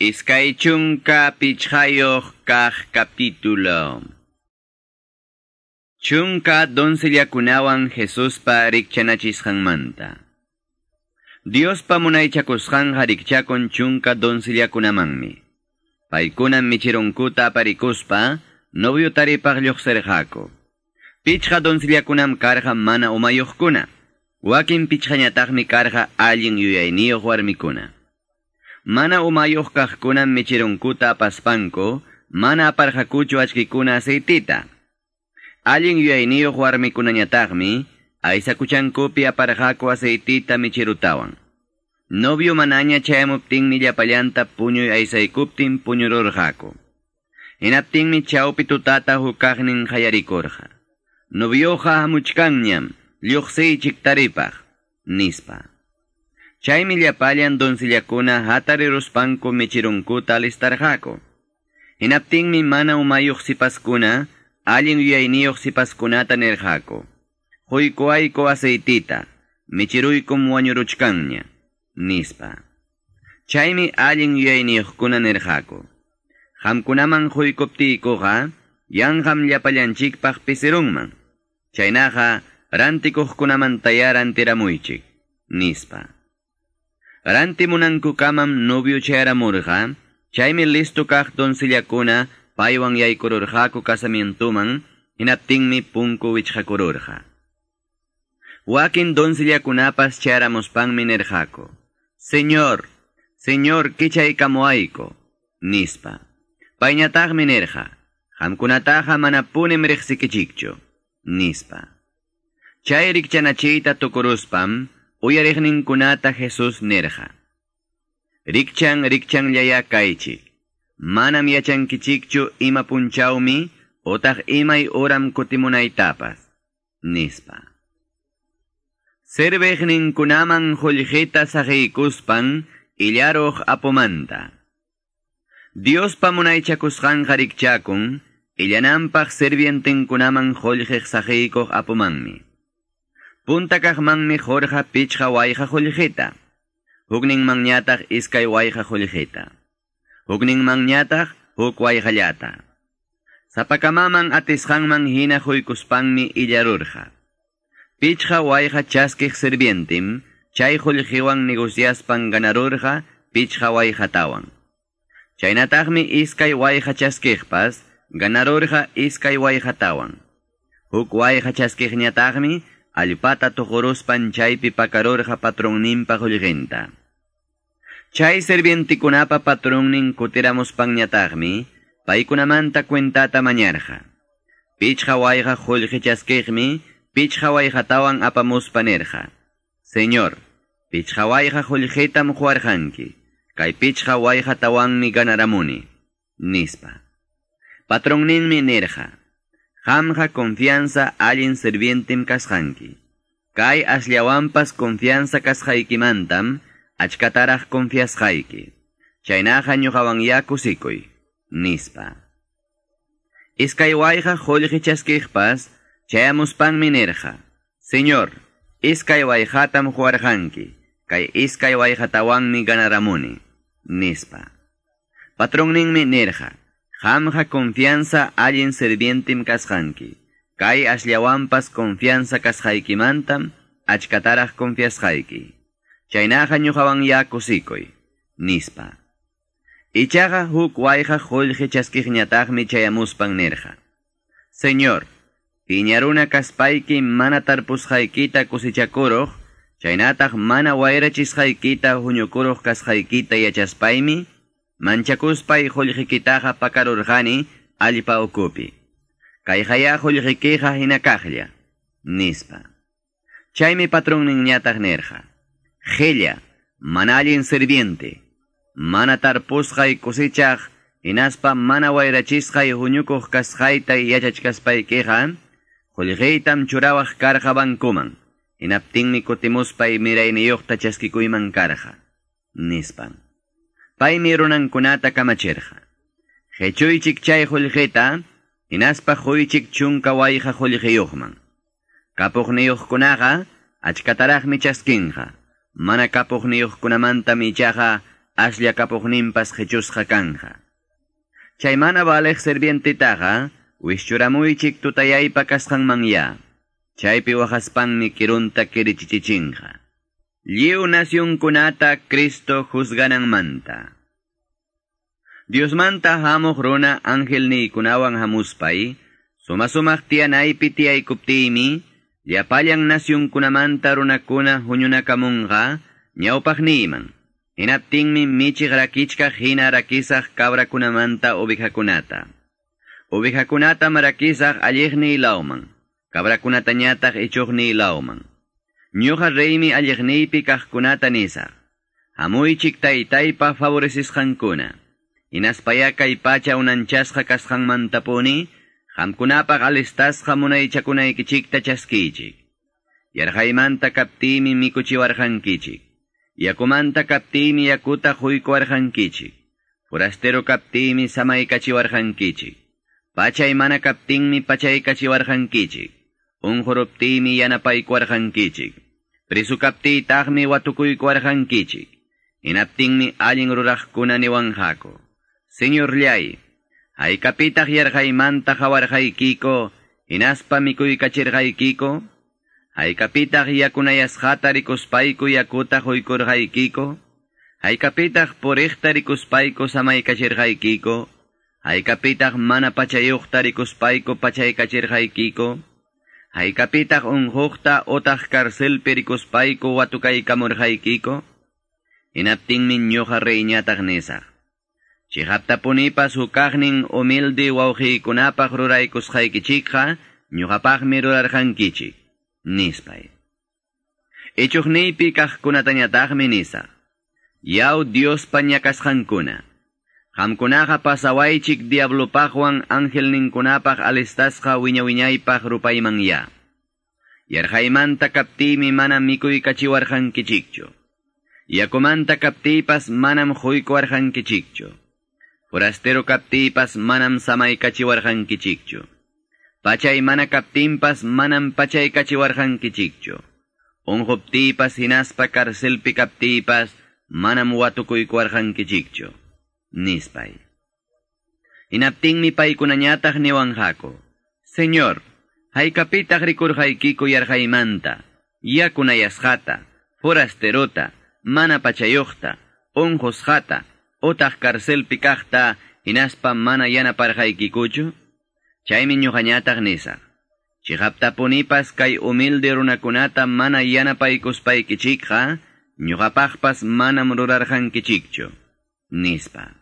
25 kaq capítulo. Chunka doncellakunawan Jesuspa rikchanachisqanmanta. Diospa munaychakusqanqa rikchakun chunka doncellakunamanmi. Paykunam michirunkuta aparikuspa novio taripaq lluqsirqaku. Pichqa doncellakunam karqa mana umayuqkuna. Wakin pichqañataqmi karqa allin yuyayniyuq warmikuna. Mana umayuq kaqkunam michirunkuta apaspanku, mana aparqakuchu achkikuna aceitita. Allin yuyayniyuq warmikunañataqmi, aysakuchankupi aparqaku aceitita michirutawan. Novio manaña chayamuptinmi llapallanta puñuy aysaykuptin puñururqaku. Hinaptinmi chawpi tutata hukaqnin qayarikurqa. Novioqa hamuchkanñam, lluqsiychik taripaq, nispa. Chaymi llapallan doncellakuna hatariruspanku michirunkuta alistarqaku. Hinaptinmi mana umayuq sipaskuna, allin yuyayniyuq sipaskunata nirqaku. Quykuayku aceitita, michiruykum wañuruchkanña, nispa. Chaymi allin yuyayniyuqkuna nirqaku. Qamkunaman quykuptiykuqa, yanqam llapallanchikpaq pisirunman. Chaynaqa rantikuqkunamantaya rantiramuychik, nispa. Rantimunankukamam novio chayaramurqa, chaymi listo kaq doncellakuna paywan yaykururqaku casamientoman, hinaptinmi punku wichqakururqa. Wakin doncellakunapas chayaramuspanmi nirqaku: Señor, Señor, kichaykamuayku, nispa. Payñataqmi nirqa: Qamkunataqa manapunim riqsikichikchu, nispa. Chay rikchanachiyta tukuruspam, uyariqninkunata Jesús nirqa: Rikchan rikchanllaya kaychik. Manam yachankichikchu ima punchawmi otaq imay uram kutimunaytapas, nispa. Serviqninkunaman qullqita saqiykuspan illaruq apumanta. Diospa munaychakusqanqa rikchakun illananpaq sirvientenkunaman qullqiq saqiykuq apumanmi. Punta kaqmanmi qurqa pichqa wayqa qullqita, hukninmanñataq iskay wayqa qullqita, hukninmanñataq huk wayqallata. Sapakamaman atisqanman hina quykuspanmi illarurqa. Pichqa wayqa chaskiq sirvientim chay qullqiwan negociaspan ganarurqa pichqa wayqatawan. Chaynataqmi iskay wayqa chaskiqpas ganarurqa iskay wayqatawan. Huk wayqa chaskiqñataqmi allpata tuquruspan chaypi pakarurqa patronninpa qullqinta. Chay sirvientikunapa patronnin kutiramuspanñataqmi paykunamanta cuentata mañarqa. Pichqa wayqa qullqi chaskiqmi pichqa wayqatawan apamuspa nirqa: Señor, pichqa wayqa qullqitam quwarqanki, kay pichqa wayqatawanmi ganaramuni, nispa. Patronninmi nirqa: Qamqa confianza allin sirvientim kasqanki. Kay asllawanpas confianza kasqaykimantam achkataraq confiasqayki. Chaynaqa ñuqawanya kusikuy, nispa. Iskay wayqa qullqi chaskiqpas chayamuspanmi nirqa: Señor, iskay wayqatam quwarqanki, kay iskay wayqatawanmi ganaramuni, nispa. Patronninmi nirqa: Qamqa confianza allin sirvientim kasqanki. Kay asllawanpas confianza kasqaykimantam achkataraq confiasqayki. Chaynaqa ñuqawanya kusikuy, nispa. Ichaqa huk wayqa qullqi chaskiqñataqmi chayamuspan nirqa: Señor, piñaruna kaspayki mana tarpusqaykita kusichakuruq, chaynataq mana wayrachisqaykita huñukuruq kasqaykita yachaspaymi, manchakuspay qullqikitaqa pakarurqani allpa ukupi. Kayqaya qullqikiqa hina kaqlla, nispa. Chaymi patronninñataq nirqa: Qilla, mana allin sirviente, mana tarpusqay kusichaq, hinaspa mana wayrachisqay huñukuq kasqayta yachachkaspaykiqa, qullqiytam churawaq karqa bankuman, hinaptinmi kutimuspay mirayniyuqta chaskikuyman karqa, nispa. Paymi runankunata kamachirqa: Qechuychik chay qullqita, hinaspa quychik chunka wayqa qullqiyuqman. Kapuqniyuqkunaqa achkataraqmi chaskinqa, mana kapuqniyuqkunamantam ichaqa aslla kapuqninpas qichusqa kanja. Chay mana valeq sirvientetaqa, wischuramuychik tutayaypa kasqanmanya. Chaypi waqaspanmi kirunta kirichichichinqa. Lliw nasyunkunata Cristo juzgananmanta. Diosmanta hamuq runa angelniykunawan hamuspay, suma-sumaq tiyanaypi tiyaykuptiymi, llapallan nasyunkunamanta runakuna huñunakamunqa ñawpaqniyman. Hinaptinmi michiq rakichkaq hina rakisaq cabrakunamanta ovejakunata. Ovejakunatam rakisaq alliqniy lawman, cabrakunatañataq ichuqniy lawman. Ñuqa reymi alliqniypi kaqkunata nisaq. Hamuychik taytaypa favorecisqankuna. Hinaspaya kay pacha unanchasqa kasqanmantapuni, qamkunapaq alistasqa munaychakunaykichikta chaskiychik. Yarqaymanta kaptiymi mikuchiwarqankichik. Yakumanta kaptiymi yakuta quykuwarqankichik. Forastero kaptiymi samaykachiwarqankichik. Pachay mana kaptinmi pachaykachiwarqankichik. Unquruptiymi yanapaykuwarqankichik. Preso kaptiytaqmi watukuykuwarqankichik. Hinaptinmi allin ruraqkuna niwanqaku. Señorllay, haykapitaq yarqaymanta qawarqaykiko, hinaspa mikuykachirqaykiko? Haykapitaq yakunayasqata rikuspayku yakuta quykurqaykiko? Haykapitaq puriqta rikuspayku samaykachirqaykiko? Haykapitaq mana pachayuqta rikuspayku pachaykachirqaykiko? Haykapitaq unquqta utaq carcelpi rikuspayku watukaykamurqaykiko? Hinaptinmi ñuqa reyñataq nisaq. Chiqaptapunipas hukaqnin humilde wawqiykunapaq ruraykusqaykichikqa ñuqapaqmi rurarqankichik, nispay. Ichuqniypi kaqkunatañataqmi nisaq. Yaw Diospa ñakasqankuna. Qamkunaqa pasawaychik diablopaqwan angelninkunapaq alistasqa wiña-wiñaypaq rupayman ya. Yarqaymanta kaptiymi manam mikuykachiwarqankichikchu. Yakumanta kaptiypas manam quykuwarqankichikchu. Forastero kaptiypas manam samaykachiwarqankichikchu. Pachay mana kaptinpas manam pachaykachiwarqankichikchu. Unquptiypas hinaspa carcelpi kaptiypas manam watukuykuwarqankichikchu. Nispay. Hinaptinmi paykunañataq niwanqaku. Señor, haykapitaq rikurqaykiku yarqaymanta, yakunayasqata, forasterota, mana pachayuqta, unqusqata, utaq carcelpi kaqta, hinaspa mana yanaparqaykikuchu? Chaymi ñuqañataq nisaq. Chiqaptapunipas kay humilde runakunata mana yanapaykuspaykichikqa, ñuqapaqpas manam rurarqankichikchu, nispa.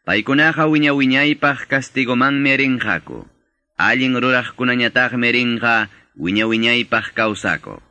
Paykunaqa wiña-wiñaypaq castigomanmi rinqaku. Allin ruraqkunañataqmi rinqa wiña-wiñaypaq kawsakuq.